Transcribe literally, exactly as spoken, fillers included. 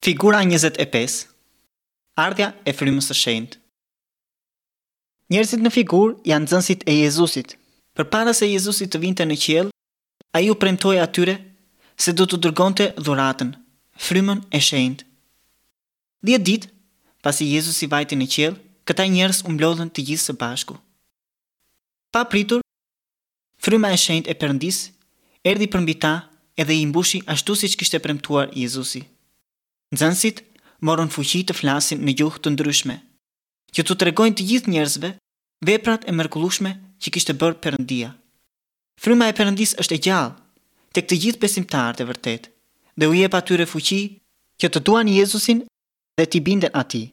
Figura njëzet e pesë. Ardhja e Frymës së Shenjtë. Njerëzit në figurë janë nxënësit e Jezusit. Përpara se Jezusi të vinte në qiell, ai u premtoi atyre se do t'u dërgonte dhuratën, Frymën e Shenjtë. Dhjetë ditë pasi Jezusi vajti në qiell, këta njerëz u mblodhën të gjithë së bashku. Papritur, Fryma e Shenjtë e Perëndisë erdhi përmbi ta edhe i mbushi ashtu siç kishte premtuar Jezusi. Nxënësit morën fuqi të flasin në gjuhë të ndryshme, që t'u tregojnë të gjithë njerëzve veprat e mrekullueshme që kishte bërë Perëndia. Fryma e Perëndisë është e gjallë tek të gjithë besimtarët e vërtetë dhe u jep atyre fuqi që të duan Jezusin dhe t'i binden atij.